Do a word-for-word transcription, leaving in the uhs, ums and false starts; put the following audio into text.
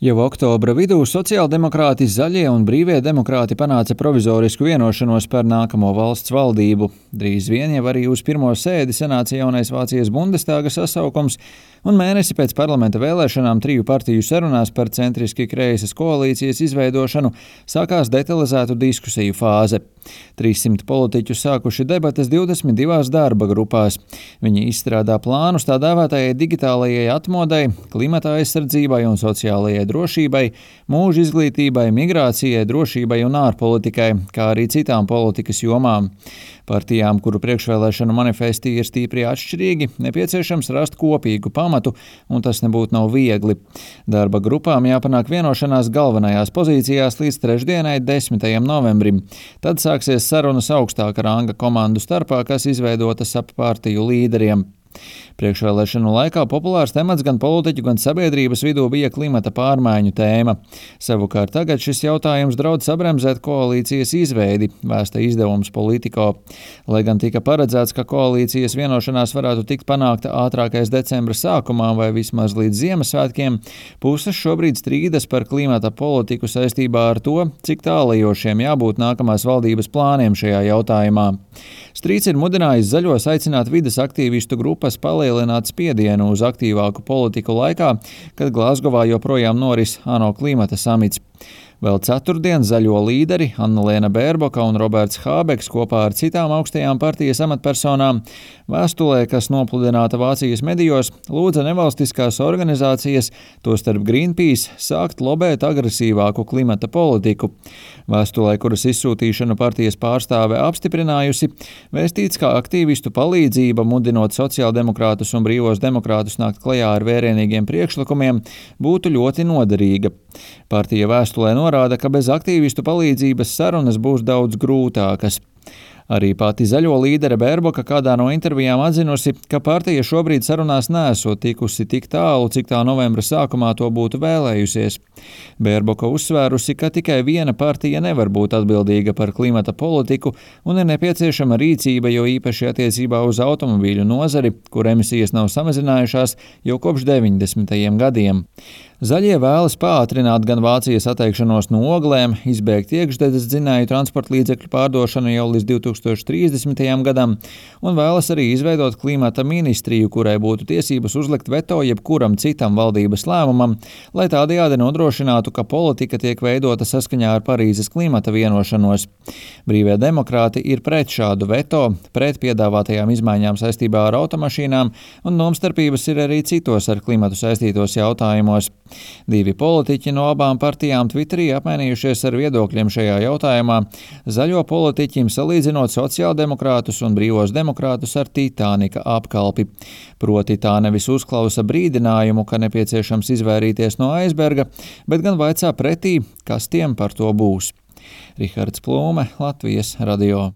Jau oktobra vidū sociāldemokrāti, zaļie un brīvie demokrāti panāca provizorisku vienošanos par nākamo valsts valdību. Drīz vien jau arī uz pirmo sēdi sanāca jaunais Vācijas Bundestāga sasaukums, un mēnesi pēc parlamenta vēlēšanām triju partiju sarunās par centriski kreisas koalīcijas izveidošanu sākās detalizētu diskusiju fāze. trīssimt politiķu sākuši debates divdesmit divās darba grupās. Viņi izstrādā plānus tā dēvētajai digitālajai atmodai, klimata aizsardzībai un sociālajai drošībai, mūža izglītībai, migrācijai, drošībai un ārpolitikai, kā arī citām politikas jomām. Partijām, kuru priekšvēlēšanu manifesti ir stīpri atšķirīgi, nepieciešams rast kopīgu pamatu, un tas nebūtu nav viegli. Darba grupām jāpanāk vienošanās galvenajās pozīcijās līdz trešdienai, desmitajam novembrim. Tad sāksies sarunas augstāka ranga komandu starpā, kas izveidotas ap partiju līderiem. Priekšvēlēšanu laikā populārs temats gan politiķu, gan sabiedrības vidū bija klimata pārmaiņu tēma. Savukārt tagad šis jautājums draud sabremzēt koalīcijas izveidi, vēsta izdevums Politico. Lai gan tika paredzēts, ka koalīcijas vienošanās varētu tikt panākta ātrākais decembra sākumā vai vismaz līdz Ziemassvētkiem, puses šobrīd strīdas par klimata politiku saistībā ar to, cik tālajošiem jābūt nākamās valdības plāniem šajā jautājumā. Strīds ir mudinājis zaļos aicināt vides aktīvistu grupas palielināt spiedienu uz aktīvāku politiku laikā, kad Glazgovā joprojām noris ANO klimata samits. Vēl ceturtdien zaļo līderi Annalēna Bērboka un Roberts Hābeks kopā ar citām augstajām partijas amatpersonām vēstulē, kas nopludināta Vācijas medijos, lūdza nevalstiskās organizācijas, tostarp Greenpeace, sākt lobēt agresīvāku klimata politiku. Vēstulē, kuras izsūtīšanu partijas pārstāve apstiprinājusi, vēstīts, ka aktīvistu palīdzība, mudinot sociāldemokrātus un brīvos demokrātus nākt klajā ar vērienīgiem priekšlikumiem, būtu ļoti noderīga. Partija vēstulē norāda, ka bez aktīvistu palīdzības sarunas būs daudz grūtākas. Arī pati zaļo līdere Bērboka kādā no intervijām atzinusi, ka partija šobrīd sarunās neesot tikusi tik tālu, cik tā novembra sākumā to būtu vēlējusies. Bērboka uzsvērusi, ka tikai viena partija nevar būt atbildīga par klimata politiku un ir nepieciešama rīcība, jo īpaši attiecībā uz automobīļu nozari, kur emisijas nav samazinājušās jau kopš deviņdesmitajiem gadiem. Zaļie vēlas pātrināt gan Vācijas atteikšanos no oglēm, izbēgt iekšzemes dzinēju transporta līdzekļu pārdošanu jau līdz divi tūkstoši trīsdesmitajam gadam un vēlas arī izveidot klimata ministriju, kurai būtu tiesības uzlikt veto jebkuram citam valdības lēmumam, lai tādējādi nodrošinātu, ka politika tiek veidota saskaņā ar Parīzes klimata vienošanos. Brīvie demokrāti ir pret šādu veto, pret piedāvātajām izmaiņām saistībā ar automašīnām, un domstarpības ir arī citos ar klimatu saistītos jautājumos. Divi politiķi no abām partijām Twitterī apmainījušies ar viedokļiem šajā jautājumā, zaļo politiķim salīdzinot sociāldemokrātus un brīvos demokrātus ar Titānika apkalpi. Proti tā nevis uzklausa brīdinājumu, ka nepieciešams izvairīties no aizberga, bet gan vaicā pretī, kas tiem par to būs. Rihards Plūme, Latvijas radio.